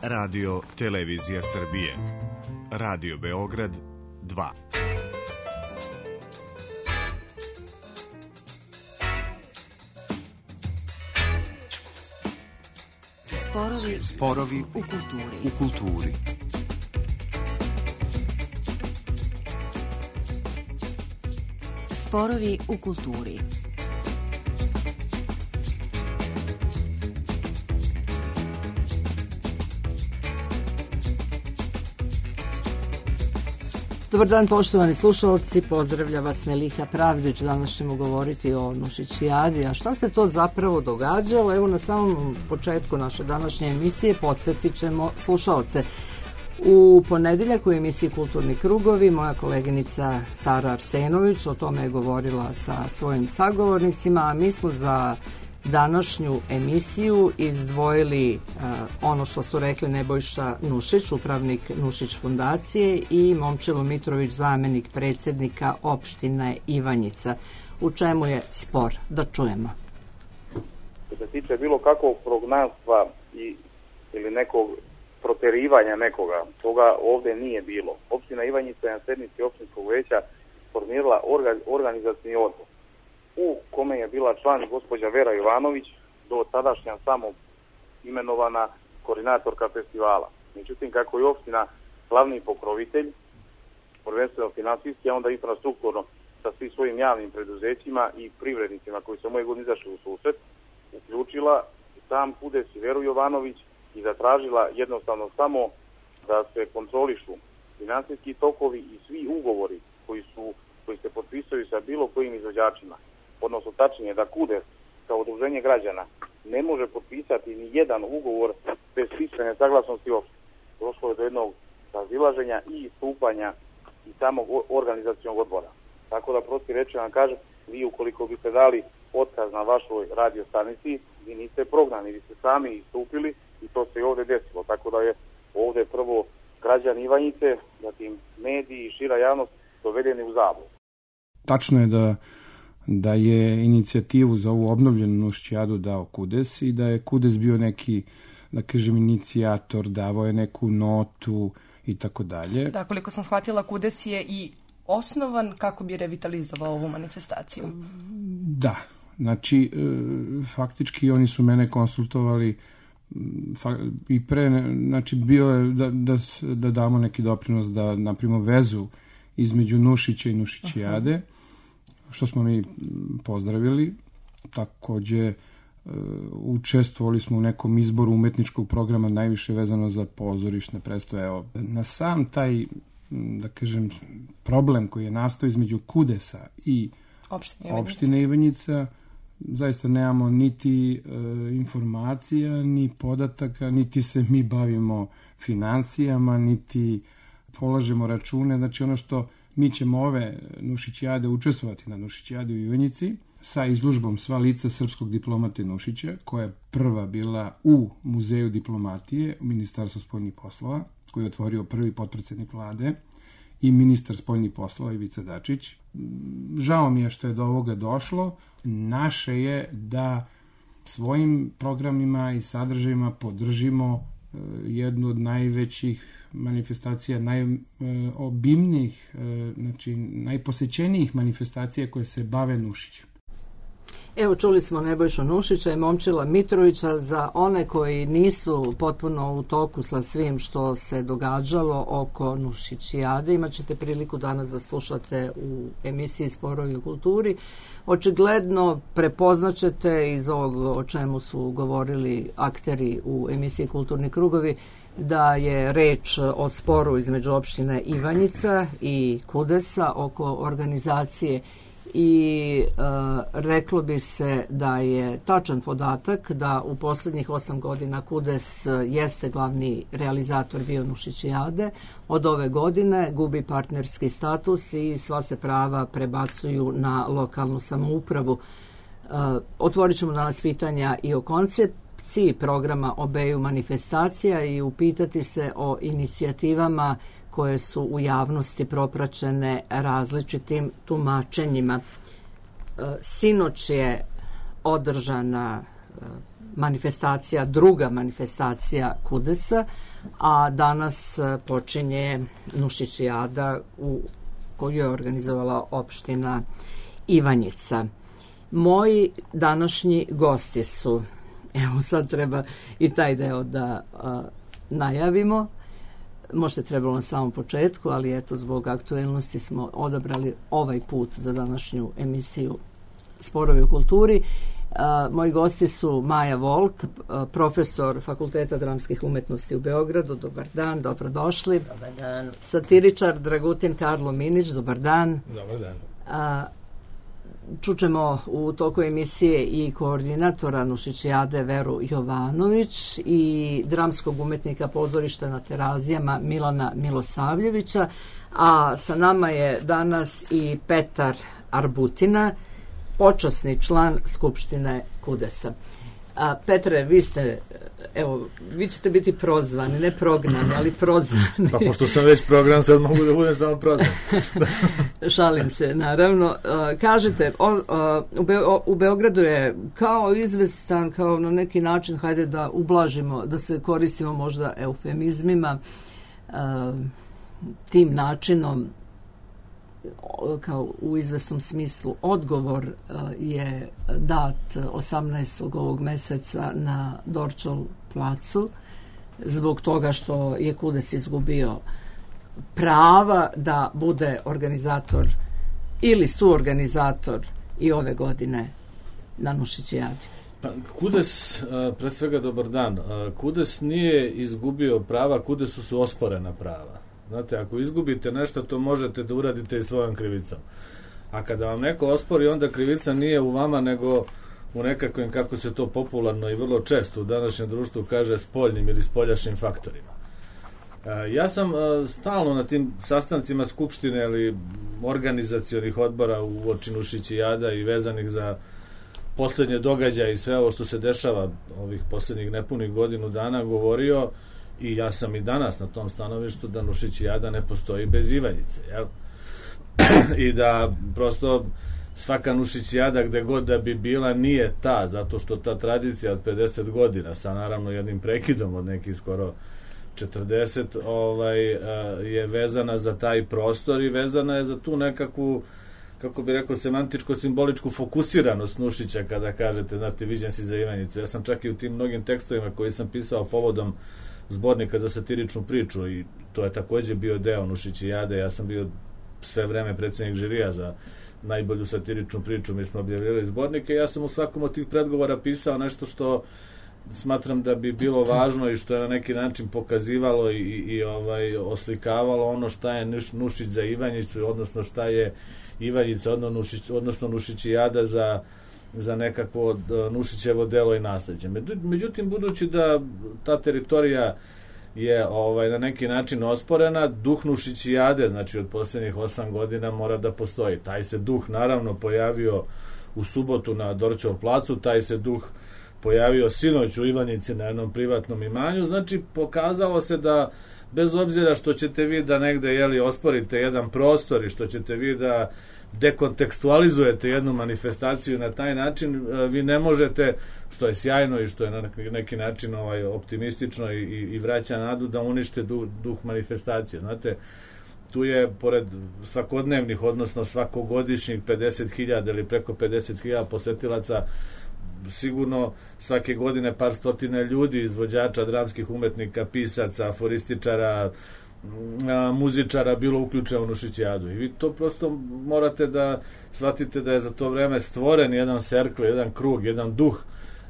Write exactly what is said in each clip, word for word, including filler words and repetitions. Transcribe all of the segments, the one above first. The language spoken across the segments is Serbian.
Radio Televizija Srbije, Radio Beograd dva. Sporovi, Sporovi u kulturi. U kulturi. Sporovi u kulturi. Dobar dan, poštovani slušalci, pozdravlja vas Meliha Pravdić. Danas ćemo govoriti o Nušićijadi. A šta se to zapravo događalo? Evo, na samom početku naše današnje emisije podsjetit ćemo slušalce. U ponedeljak u emisiji Kulturni krugovi moja koleginica Sara Arsenović o tome je govorila sa svojim sagovornicima, a mi smo za današnju emisiju izdvojili uh, ono što su rekli Nebojša Nušić, upravnik Nušić fondacije, i Momčilo Mitrović, zamenik predsjednika opštine Ivanjica. U čemu je spor? Da čujemo. Što se tiče bilo kakvog prognanstva i, ili nekog proterivanja nekoga, toga ovdje nije bilo. Opština Ivanjica je na sednici opštinskog veća formirala orga, organizacijni odbor, u kome je bila član gospođa Vera Jovanović, do tadašnja samo imenovana koordinatorka festivala. Međutim, kako je opština glavni pokrovitelj, prvenstveno finansijski, a onda infrastrukturno sa svim svojim javnim preduzećima i privrednicima koji su moje godine izašli u susret, uključila sam Kudes i Veru Jovanović i zatražila jednostavno samo da se kontrolišu finansijski tokovi i svi ugovori koji su koji se potpisuju sa bilo kojim izvođačima. Odnosno, tačnije da Kudes kao udruženje građana ne može potpisati ni jedan ugovor bez pisane saglasnosti opštine. Došlo je do jednog razilaženja i istupanja i samog organizacionog odbora. Tako da, prosti reći vam kažem, vi ukoliko biste dali otkaz na vašoj radio stanici, vi niste prognani, vi ste sami istupili i to se i ovdje desilo. Tako da je ovdje prvo građani Ivanjice, zatim mediji i šira javnost dovedeni u zabludu. Tačno je da da je inicijativu za ovu obnovljenu Nušićijadu dao Kudes i da je Kudes bio neki, da kažem, inicijator, davao je neku notu i tako dalje. Da, koliko sam shvatila, Kudes je i osnovan kako bi revitalizovao ovu manifestaciju. Da, znači, faktički oni su mene konsultovali i pre, znači, bilo je da, da, da damo neki doprinos da napravimo vezu između Nušića i Nušićijade. Aha. Što smo mi pozdravili. Takođe, učestvovali smo u nekom izboru umetničkog programa, najviše vezano za pozorišne predstave. Evo, na sam taj, da kažem, problem koji je nastao između Kudesa i opštine, opštine Ivanjica, zaista nemamo niti e, informacija, ni podataka, niti se mi bavimo finansijama, niti polažemo račune. Znači, ono što mi ćemo ove Nušićijade učestvovati na Nušićijadi u Ivanjici sa izložbom Sva lica srpskog diplomate Nušića, koja je prva bila u Muzeju diplomatije u Ministarstvu spoljnih poslova, koji je otvorio prvi potpredsjednik vlade i ministar spoljnih poslova Ivica Dačić. Žao mi je što je do ovoga došlo. Naše je da svojim programima i sadržajima podržimo jednu od najvećih manifestacija, najobimnijih, znači najposećenijih manifestacija koje se bave Nušićem. Evo, čuli smo Nebojšu Nušića i Momčila Mitrovića. Za one koji nisu potpuno u toku sa svim što se događalo oko Nušićijade, imat ćete priliku danas da slušate u emisiji Sporovi u kulturi. Očigledno prepoznaćete iz ovog o čemu su govorili akteri u emisiji Kulturni krugovi da je reč o sporu između opštine Ivanjica i Kudesa oko organizacije i e, reklo bi se da je tačan podatak da u posljednjih osam godina Kudes jeste glavni realizator bio Nušićijade. Od ove godine gubi partnerski status i sva se prava prebacuju na lokalnu samoupravu. E, otvorit ćemo danas pitanja i o koncepciji programa obeju manifestacija i upitati se o inicijativama koje su u javnosti propraćene različitim tumačenjima. Sinoć je održana manifestacija, druga manifestacija Kudesa, a danas počinje Nušićijada u koju je organizovala opština Ivanjica. Moji današnji gosti su, evo sad treba i taj deo da a, najavimo, možda je trebalo na samom početku, ali eto zbog aktuelnosti smo odabrali ovaj put za današnju emisiju Sporovi u kulturi. A, moji gosti su Maja Volk, a, profesor Fakulteta dramskih umetnosti u Beogradu. Dobar dan, dobrodošli. Dobar dan. Satiričar Dragutin Karlo Minić, dobar dan. Dobar dan. A, čućemo u toku emisije i koordinatora Nušićijade Veru Jovanović i dramskog umetnika pozorišta na Terazijama Milana Milosavljevića, a sa nama je danas i Petar Arbutina, počasni član Skupštine Kudesa. A, Petre, vi ste, evo, vi ćete biti prozvani, ne prognani, ali prozvani. Pa pošto sam već program, sad mogu da budem samo prozvan. Šalim se, naravno. A, kažete, o, a, u, Be, o, u Beogradu je kao izvestan, kao na neki način, hajde da ublažimo, da se koristimo možda eufemizmima, a, tim načinom, kao u izvesnom smislu odgovor je dat osamnaestog ovog meseca na Dorćol placu zbog toga što je Kudes izgubio prava da bude organizator ili suorganizator i ove godine na Nušićijadi. Pa, Kudes, pre svega dobar dan, Kudes nije izgubio prava, Kudesu su osporena prava. Znate, ako izgubite nešto, to možete da uradite i svojom krivicom. A kada vam neko ospori, onda krivica nije u vama, nego u nekakvim, kako se to popularno i vrlo često u današnjem društvu kaže, spoljnim ili spoljašnjim faktorima. E, ja sam e, stalno na tim sastancima Skupštine ili organizacionih odbora u oči Nušićijada i vezanih za poslednje događaje i sve ovo što se dešava ovih poslednjih nepunih godinu dana govorio. I ja sam i danas na tom stanovištu da Nušićijada ne postoji bez Ivanjice, jel? I da prosto svaka Nušićijada gde god da bi bila nije ta, zato što ta tradicija od pedeset godina sa naravno jednim prekidom od nekih skoro četrdeset ovaj, je vezana za taj prostor i vezana je za tu nekakvu, kako bi rekao, semantičko-simboličku fokusiranost Nušića kada kažete, znate, viđen si za Ivanjicu. Ja sam čak i u tim mnogim tekstovima koji sam pisao povodom zbornika za satiričnu priču i to je takođe bio deo Nušićijade. Ja sam bio sve vreme predsednik žirija za najbolju satiričnu priču. Mi smo objavljali zbornike. Ja sam u svakom od tih predgovora pisao nešto što smatram da bi bilo važno i što je na neki način pokazivalo i, i ovaj oslikavalo ono šta je Nušić za Ivanjicu, odnosno šta je Ivanjica, odnosno Nušićijada za za nekakvo Nušićevo delo i nasleđe. Međutim, budući da ta teritorija je ovaj, na neki način osporena, duh Nušićijade, znači od posljednjih osam godina mora da postoji. Taj se duh naravno pojavio u subotu na Dorćol placu, taj se duh pojavio sinoć u Ivanjici na jednom privatnom imanju, znači pokazalo se da bez obzira što ćete vi da negde jeli, osporite jedan prostor i što ćete vi da dekontekstualizujete jednu manifestaciju na taj način, vi ne možete, što je sjajno i što je na neki način ovaj, optimistično i, i vraća nadu, da unište duh, duh manifestacije. Znate, tu je, pored svakodnevnih, odnosno svakogodišnjih pedeset hiljada ili preko pedeset hiljada posetilaca, sigurno svake godine par stotina ljudi, izvođača, dramskih umetnika, pisaca, aforističara, muzičara bilo uključeno u Nušićijadu. I vi to prosto morate da shvatite da je za to vreme stvoren jedan serkl, jedan krug, jedan duh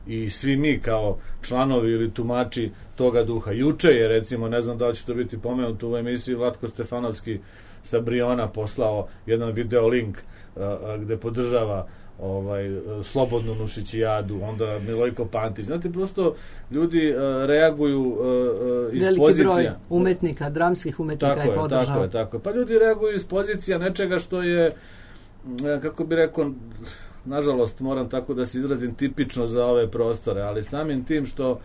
i svi mi kao članovi ili tumači toga duha. Juče je, recimo, ne znam da li će to biti pomenuto u emisiji, Vlatko Stefanovski sa Briona poslao jedan video link gde podržava ovaj, slobodnu Nušićijadu, onda Milojko Pantić. Znate, prosto ljudi uh, reaguju uh, iz veliki pozicija. Veliki broj umetnika, dramskih umetnika tako je podržao. Tako je, tako je. Pa ljudi reaguju iz pozicija nečega što je, kako bi rekao, nažalost, moram tako da se izrazim, tipično za ove prostore, ali samim tim što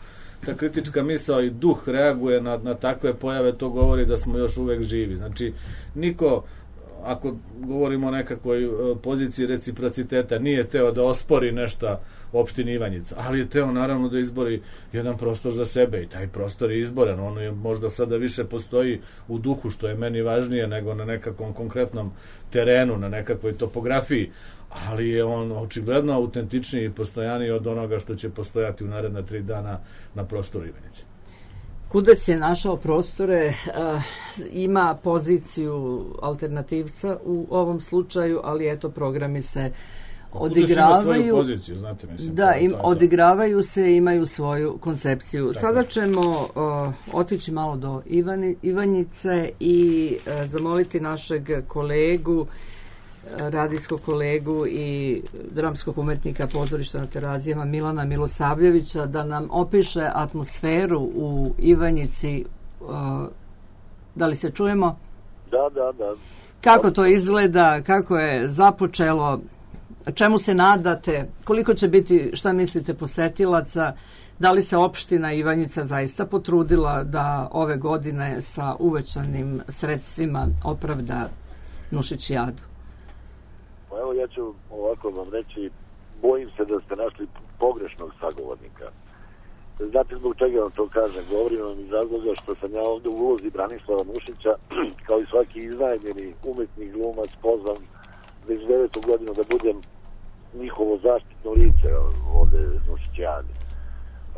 ta kritička misao i duh reaguje na, na takve pojave, to govori da smo još uvek živi. Znači, niko ako govorimo o nekakvoj poziciji reciprociteta, nije teo da ospori nešto opštini Ivanjica, ali je teo naravno da izbori jedan prostor za sebe i taj prostor je izboren. On je možda sada više postoji u duhu, što je meni važnije nego na nekakvom konkretnom terenu, na nekakvoj topografiji, ali je on očigledno autentičniji i postojaniji od onoga što će postojati u naredna tri dana na prostoru Ivanjice. Kudes je našao prostore, uh, ima poziciju alternativca u ovom slučaju, ali eto, programi se odigravaju. Kudes ima svoju poziciju, znate, mislim. Da, im, to, odigravaju se i imaju svoju koncepciju. Tako. Sada ćemo uh, otići malo do Ivani, Ivanjice i uh, zamoliti našeg kolegu, radijskog kolegu i dramskog umetnika pozorišta na Terazijama Milana Milosavljevića da nam opiše atmosferu u Ivanjici. Da li se čujemo? Da, da, da. Kako to izgleda, kako je započelo, čemu se nadate, koliko će biti, šta mislite, posetilaca, da li se opština Ivanjica zaista potrudila da ove godine sa uvećanim sredstvima opravda Nušićijadu? Evo, ja ću ovako vam reći, bojim se da ste našli pogrešnog sagovornika. Znate zbog čega vam to kažem? Govorim vam iz razloga što sam ja ovde u ulozi Branislava Nušića, kao i svaki iznajmljeni umetnik, glumac, pozvan već devetu godinu da budem njihovo zaštitno lice ovde Nušićijade.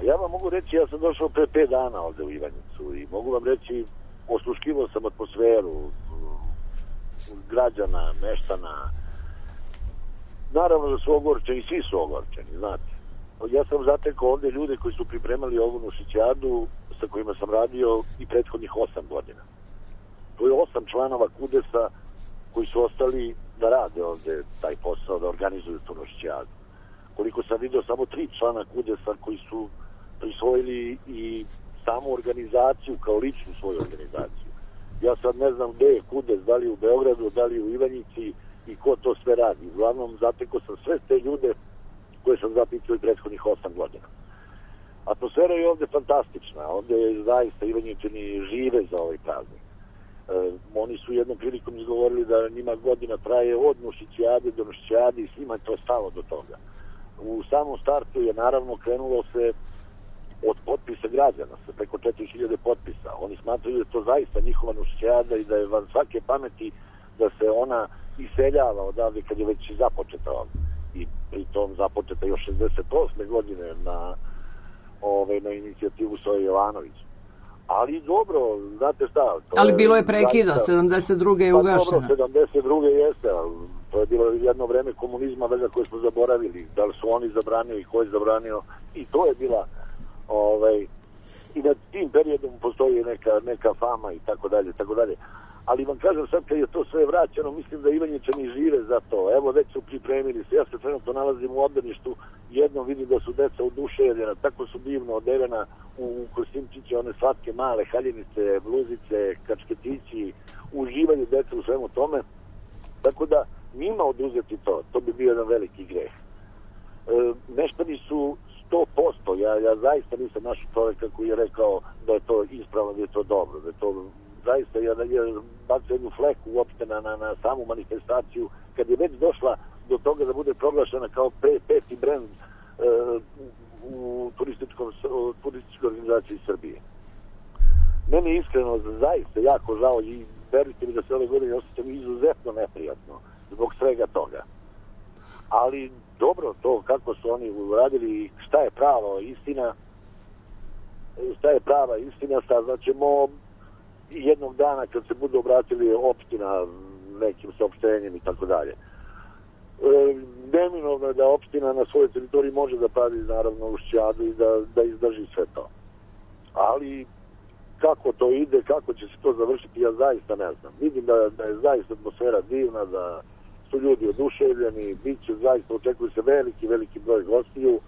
Ja vam mogu reći, ja sam došao pre pet dana ovde u Ivanjicu i mogu vam reći, osluškivao sam atmosferu građana, meštana. Naravno da su ogorčeni, svi su ogorčeni, znate. Ja sam zatekao ovde ljude koji su pripremali ovu Nušićijadu sa kojima sam radio i prethodnih osam godina. To je osam članova Kudesa koji su ostali da rade ovde taj posao, da organizuju tu Nušićijadu. Koliko sam vidio, samo tri člana Kudesa koji su prisvojili i samu organizaciju kao ličnu svoju organizaciju. Ja sad ne znam gde je Kudes, da li u Beogradu, da li u Ivanjici i ko to sve radi. Uglavnom, zatekao sam sve te ljude koje sam zapitao i prethodnih osam godina. Atmosfera je ovde fantastična. Ovde je zaista Ivanjičani žive za ovaj praznik. E, oni su jednom prilikom izgovorili da njima godina traje od Nušićijade do Nušićijade i svima je to stalo do toga. U samom startu je naravno krenulo se od potpisa građana, sa preko četiri hiljade potpisa. Oni smatraju da je to zaista njihova Nušićijada i da je van svake pameti da se ona iseljava odavde kad je već i započeta ovdje. I pritom započeta još šezdeset osme godine na, ove, na inicijativu Soje Jovanović. Ali dobro, znate šta... To ali bilo je prekida, zaista, sedamdeset druge je ugašena. Pa dobro, sedamdeset druge jeste, ali to je bilo jedno vreme komunizma vega koje smo zaboravili. Da li su oni zabranili, ko je zabranio. I to je bila... Ovaj, i nad tim periodom postoji neka, neka fama i tako dalje, tako dalje. Ali vam kažem, sad kad je to sve vraćeno, mislim da Ivanjičani žive za to. Evo, već su pripremili se. Ja se trenutno nalazim u obdaništu, jednom vidim da su deca oduševljena, tako su divno oderena u kostimčiće, one slatke male haljinice, bluzice, kačketići, uživaju deca u svemu tome. Tako da, njima oduzeti to, to bi bio jedan veliki greh. E, meštani su sto posto, ja, ja zaista nisam našao čovjeka koji je rekao da je to ispravno, da je to dobro, da je to zaista je, je bacio jednu fleku uopšte na, na, na samu manifestaciju, kad je već došla do toga da bude proglašena kao pe, peti brend e, u turističkom, turističkoj organizaciji Srbije. Meni je iskreno zaista jako žao i verujte mi da se ove godine osjećam izuzetno neprijatno zbog svega toga. Ali dobro, to kako su oni uradili, šta je pravo istina, šta je prava istina, saznaćemo jednog dana kad se budu obratili opština nekim saopštenjem i tako dalje. Neminovno je da opština na svojoj teritoriji može da pravi naravno Nušićijadu i da, da izdrži sve to. Ali kako to ide, kako će se to završiti, ja zaista ne znam. Vidim da, da je zaista atmosfera divna, da su ljudi oduševljeni, bit će zaista, očekuje se veliki, veliki broj gostiju.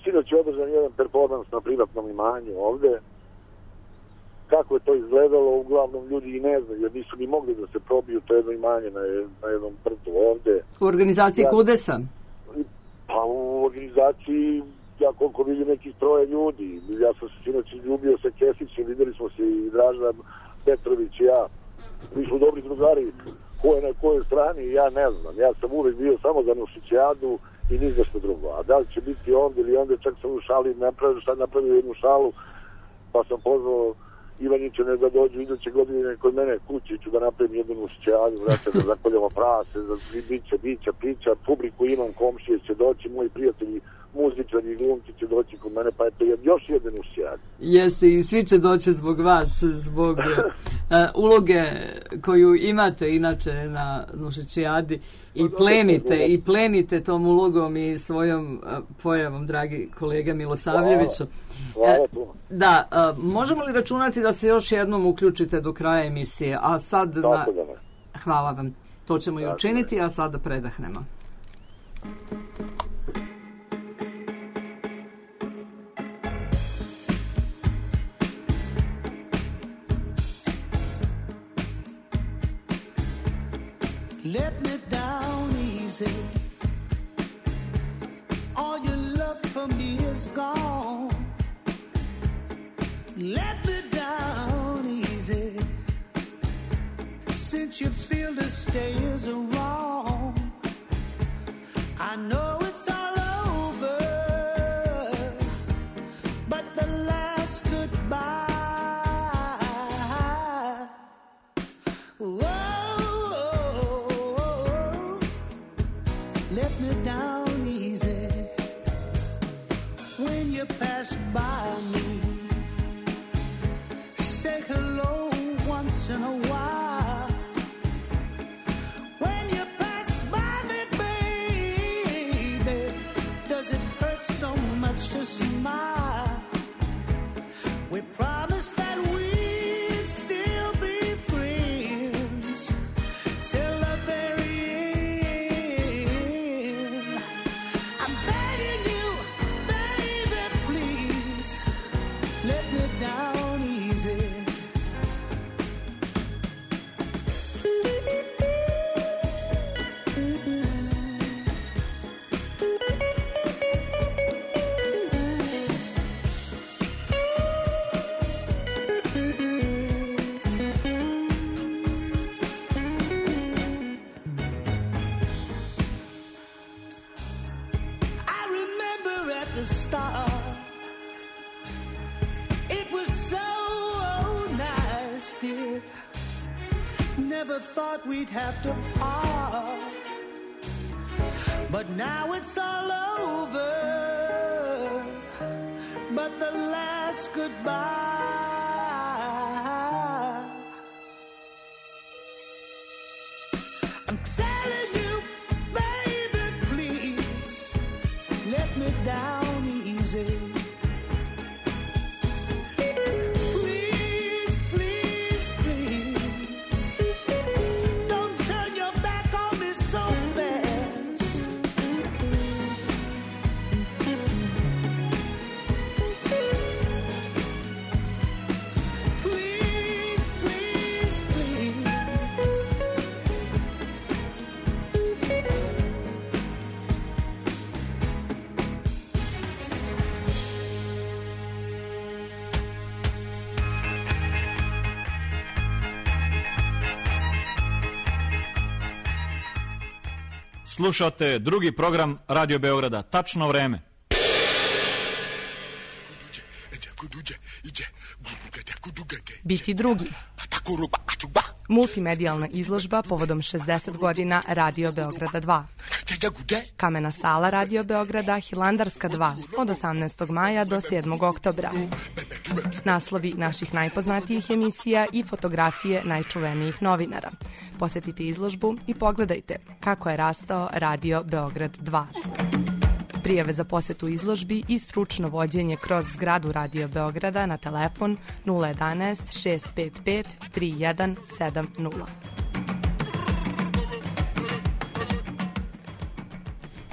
Sinoć je održan jedan performans na privatnom imanju ovde. Kako je to izgledalo, uglavnom ljudi i ne znaju, jer nisu ni mogli da se probiju to jedno imanje na, na jednom prtu ovde. U organizaciji ja, Kudesa? Pa u organizaciji, ja koliko vidim, nekih troje ljudi. Ja sam se sinoć izljubio sa Kesićem, videli smo se i Dražan Petrović i ja. Mi smo dobri drugari. ko je na kojoj strani, ja ne znam. Ja sam uvek bio samo za Nušićijadu i ni za što drugo. A da li će biti ovdje ili onda, čak sam u šali napravio, sad napravio jednu šalu, pa sam pozvao Ivanjičane da dođu iduće godine kod mene kući, ću da napravim jednu Nušićijadu, vrata, da zakoljamo prase, da bića, bića, pića, publiku imam, komšije će doći, moji prijatelji, muzičari i glumci će doći kod mene, pa eto još jedan Nušićijad. Jeste, i svi će doći zbog vas, zbog uh, uloge koju imate inače na Nušićijadi i plenite, i plenite tom ulogom i svojom uh, pojavom, dragi kolega Milosavljeviću. Hvala, hvala puno. Da, uh, možemo li računati da se još jednom uključite do kraja emisije, a sad... Tako na... da ne. Hvala vam. To ćemo i učiniti, a sada predahnemo. Let me down easy. All your love for me is gone. Let me down easy. Since you feel to stay is wrong, I know it's all over, but the last goodbye. Whoa. Let me down easy. When you pass by me, say hello once in a while. When you pass by me, baby, does it hurt so much to smile? We promised that we'd still be friends till the very end. I'm begging you, baby, please, let me down easy. I remember at the start, it was so nice, dear. Never thought we'd have to part, but now it's all over, but the last goodbye. I'm telling you, baby, please, let me down easy. Please, please, please, don't turn your back on me so fast. Please, please, please. Slušate drugi program Radio Beograda. Tačno vreme. Biti drugi. Multimedijalna izložba povodom šezdeset godina Radio Beograda dva. Kamena sala Radio Beograda Hilandarska dva od osamnaestog maja do sedmog oktobra. Naslovi naših najpoznatijih emisija i fotografije najčuvenijih novinara. Posetite izložbu i pogledajte kako je rastao Radio Beograd dva. Prijave za posetu izložbi i stručno vođenje kroz zgradu Radio Beograda na telefon nula jedanaest šest pet pet tri jedan sedam nula.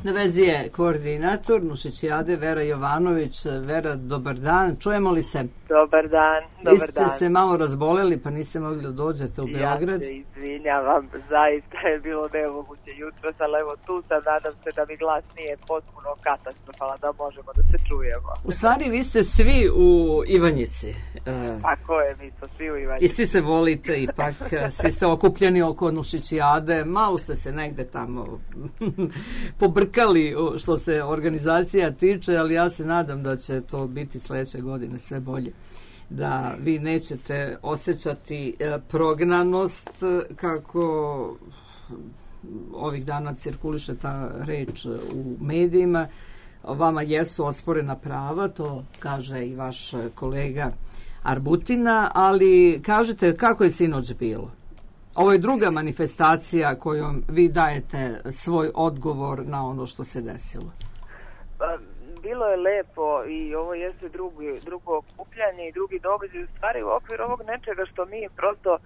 Na vezi je koordinator Nušićijade Vera Jovanović. Vera, dobar dan. Čujemo li se? Dobar dan, dobar Vi ste dan. se malo razboleli pa niste mogli da dođete u Beograd. Ja se izvinjavam, zaista je bilo nemoguće jutros, ali evo tu sam, nadam se da mi glas nije potpuno katastrofalan, da možemo da se čujemo. U stvari vi ste svi u Ivanjici. E, Tako je, mi smo svi u Ivanjici. I svi se volite ipak, svi ste okupljeni oko Nušićijade, malo ste se negde tamo pobrkali što se organizacija tiče, ali ja se nadam da će to biti sledeće godine sve bolje. Da vi nećete osjećati e, prognanost kako ovih dana cirkuliše ta reč u medijima. Vama jesu osporena prava, to kaže i vaš kolega Arbutina, ali kažete kako je sinoć bilo? Ovo je druga manifestacija kojom vi dajete svoj odgovor na ono što se desilo. Pa, bilo je lepo i ovo jeste drugi, drugo okupljanje i drugi događaj. U stvari u okviru ovog nečega što mi prosto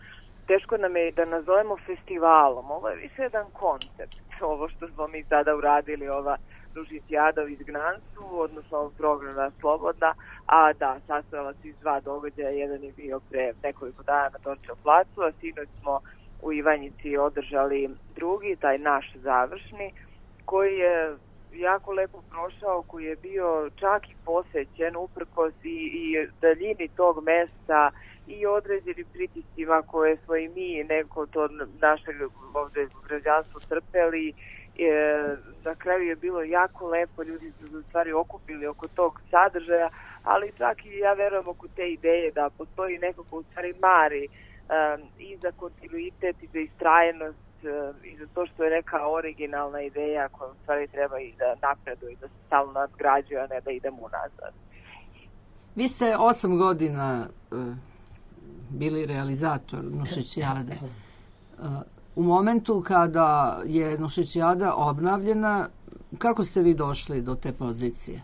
teško nam je da nazovemo festivalom. Ovo je više jedan koncept. Ovo što smo mi sada uradili, ova Nušićijada u izgnanstvu, odnosno programa Slobodna, a da, sastojala se iz dva događaja. Jedan je bio pre nekoliko dana na Dorčev placu, a sinoć smo u Ivanjici održali drugi, taj naš završni, koji je jako lepo prošao, koji je bio čak i posećen uprkos i, i daljini tog mesta i određenim pritiscima koje smo i mi neko to našeg ovde građanstvo trpeli. E, na kraju je bilo jako lepo, ljudi su se u stvari okupili oko tog sadržaja, ali čak i ja verujem oko te ideje da postoji neko ko u stvari mari um, i za kontinuitet i za istrajenost um, i za to što je neka originalna ideja koja u stvari treba i da napreduje i da se stalno nadgrađuje, a ne da idemo unazad. Vi ste osam godina uh, bili realizator Nušićijade. Uh, u momentu kada je Nušićijada obnavljena, kako ste vi došli do te pozicije?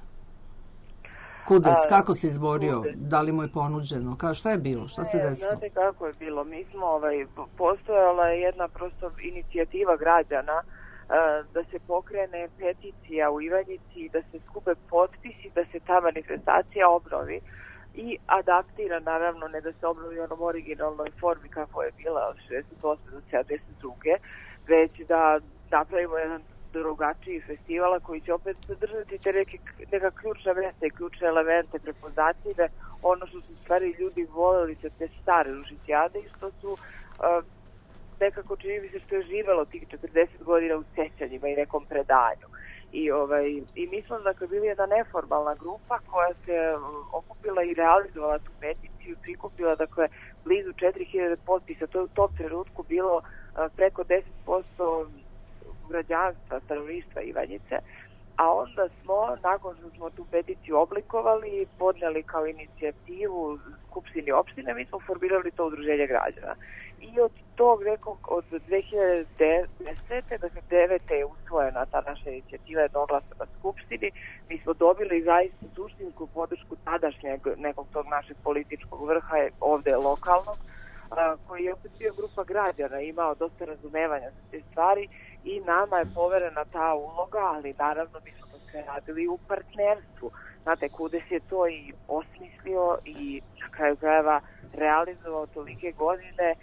Kudes, kako se izborio? Da li mu je ponuđeno? Ka, šta je bilo? Šta se desilo? Znate kako je bilo? Mi smo, ovaj, postojala je jedna prosto inicijativa građana da se pokrene peticija u Ivanjici, da se skupe potpisi, da se ta manifestacija obnovi i adaptira, naravno, ne da se obnovi u onom originalnoj formi kako je bila od šezdeset osme do sedamdeset druge, već da napravimo jedan drugačiji festivala koji će opet sadržati te neke, neka ključna mesta i ključne elemente prepoznatljive, ono što su stvari ljudi voleli sa te stare Nušićijade i što su uh, nekako čini mi se što je živelo tih četrdeset godina u sećanjima i nekom predanju. I, ovaj, i mi smo dakle bili jedna neformalna grupa koja se okupila i realizovala tu peticiju, prikupila dakle blizu četiri hiljade potpisa, to je u tom trenutku bilo uh, preko deset posto građanstva, stanovništva Ivanjice, a onda smo, nakon što smo tu peticiju oblikovali, podneli kao inicijativu Skupštini opštine, mi smo formirali to udruženje građana. I od tog nekog, od dve hiljade desete, dakle devete je usvojena ta naša inicijativa jednoglasno na Skupštini. Mi smo dobili zaista suštinsku podršku tadašnjeg nekog tog našeg političkog vrha, ovde lokalnog, koji je opet bio grupa građana, imao dosta razumevanja za te stvari i nama je poverena ta uloga, ali naravno mi smo to sve radili u partnerstvu. Znate, Kudes je to i osmislio i na kraju krajeva realizovao tolike godine, e,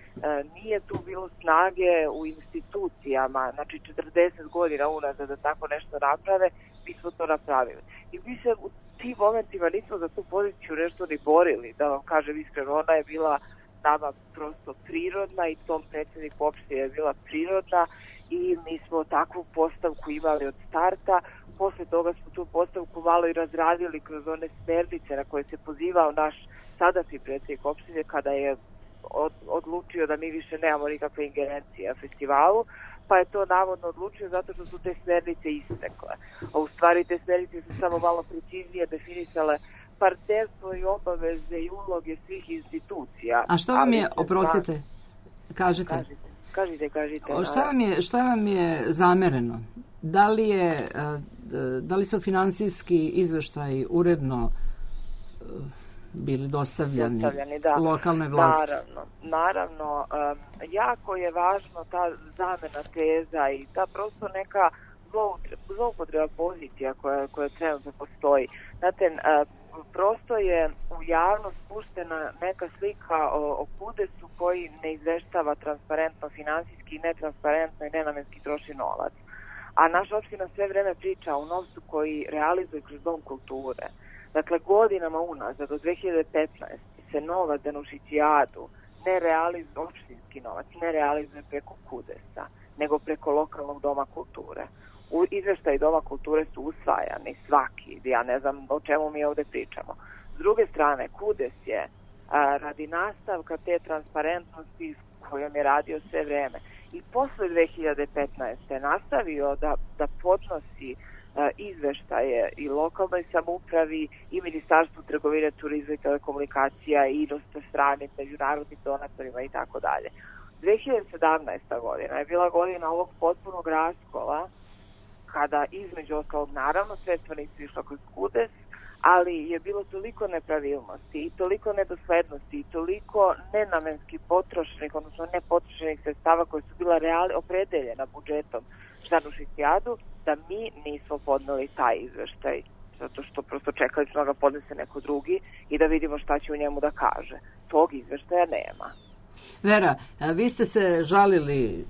nije tu bilo snage u institucijama, znači četrdeset godina unazad da tako nešto naprave, mi smo to napravili. I mi se u tim momentima nismo za tu poziciju nešto ni borili, da vam kažem iskreno, ona je bila nama prosto prirodna i tom predsjedniku opštine je bila prirodna i mi smo takvu postavku imali od starta. Posle toga smo tu postavku malo i razradili kroz one smernice na koje se pozivao naš sadašnji predsjednik opštine kada je od, odlučio da mi više nemamo nikakve ingerencije na festivalu, pa je to navodno odlučio zato što su te smernice istekle. A u stvari te smernice su samo malo preciznije definisale partnerstvo i obaveze i uloge svih institucija. A šta vam je, oprostite, kažete? Kažite, kažite, kažite. Šta vam je, šta vam je zamereno? Da li, je, da li su finansijski izveštaji uredno bili dostavljani, dostavljani da. Lokalne vlasti? Naravno, naravno. Um, jako je važno ta zamena teza i ta prosto neka zloupotreba pozicija koja, koja trenutno postoji. Znate, a, prosto je u javnost puštena neka slika o, o Kudesu koji ne izveštava transparentno, finansijski, netransparentno i nenamenski troši novac. A naša opština sve vreme priča o novcu koji realizuje kroz Dom kulture. Dakle, godinama unazad, do dve hiljade petnaeste se novac za Nušićijadu ne realizuje, opštinski novac, ne realizuje preko Kudesa, nego preko lokalnog Doma kulture. U izveštaji Doma kulture su usvajani svaki, ja ne znam o čemu mi ovde pričamo. S druge strane, Kudes je a, radi nastavka te transparentnosti kojom je radio sve vreme i posle dve hiljade petnaeste nastavio da, da podnosi a, izveštaje i lokalnoj samoupravi i Ministarstvu trgovine, turizma i telekomunikacija i inostranim stranim međunarodnim donatorima i tako dalje. dve hiljade sedamnaesta godina je bila godina ovog potpunog raskola kada između ostalog naravno sredstva nisu išla kroz Kudes, ali je bilo toliko nepravilnosti i toliko nedoslednosti i toliko nenamenski potrošenih, odnosno nepotrošenih sredstava koje su bila reali, opredeljena budžetom za Nušićijadu, da mi nismo podneli taj izveštaj, zato što prosto čekali smo da ga podnese neko drugi i da vidimo šta će u njemu da kaže. Tog izveštaja nema. Vera, vi ste se žalili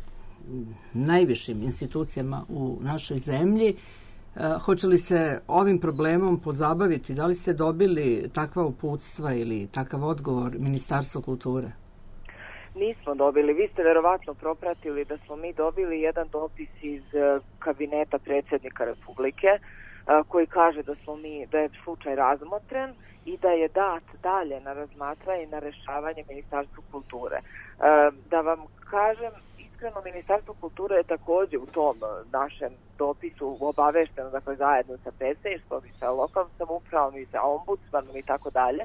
najvišim institucijama u našoj zemlji. Hoće li se ovim problemom pozabaviti? Da li ste dobili takva uputstva ili takav odgovor Ministarstva kulture? Nismo dobili. Vi ste verovatno propratili da smo mi dobili jedan dopis iz kabineta predsjednika Republike koji kaže da smo mi, da je slučaj razmotren i da je dat dalje na razmatranje i na rešavanje Ministarstvu kulture. Da vam kažem, iskreno, Ministarstvo kulture je takođe u tom našem dopisu obavešteno, dakle zajedno sa predstavništvom i sa lokalnom samoupravom i sa ombudsmanom i tako dalje.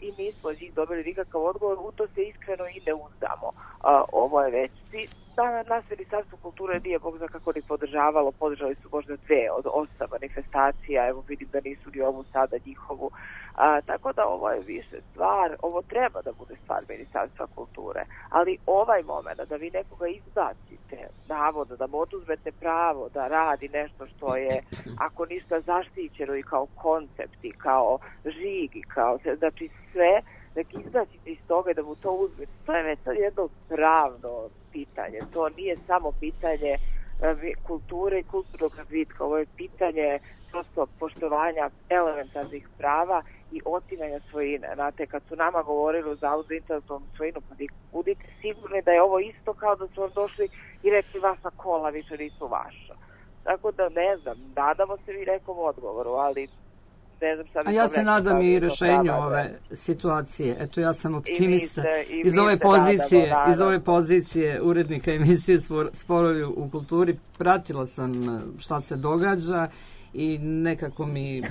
I mi smo od njih dobili nikakav odgovor, u to se iskreno i ne uzdamo. Ovo je već, da, nas Ministarstvo kulture nije Bog zna kako ni podržavalo, podržali su možda dve od osam manifestacija, evo vidim da nisu ni ovu sada njihovu. A, tako da ovo je više stvar, ovo treba da bude stvar Ministarstva kulture, ali ovaj moment da vi nekoga izbacite, navodno da mu oduzmete pravo da radi nešto što je, ako ništa, zaštićeno i kao koncept i kao žig i kao, znači sve, da izbacite iz toga i da mu to uzmete, to je već jedno pravno pitanje, to nije samo pitanje kulture i kulturnog razvitka, ovo je pitanje prosto poštovanja elementarnih prava i otimanja svojine. Znate, kad su nama govorili u Zavodu za intelektualnu svojinu, pa budite sigurni da je ovo isto kao da su vam došli i rekli vaša kola više nisu vaša. Tako da ne znam, nadamo se vi nekom odgovoru, ali ne znam šta bi. A ja se nadam i rešenju ove situacije. Eto, ja sam optimista. Iz ove pozicije, iz ove pozicije urednika emisije Sporovi u kulturi pratila sam šta se događa i nekako mi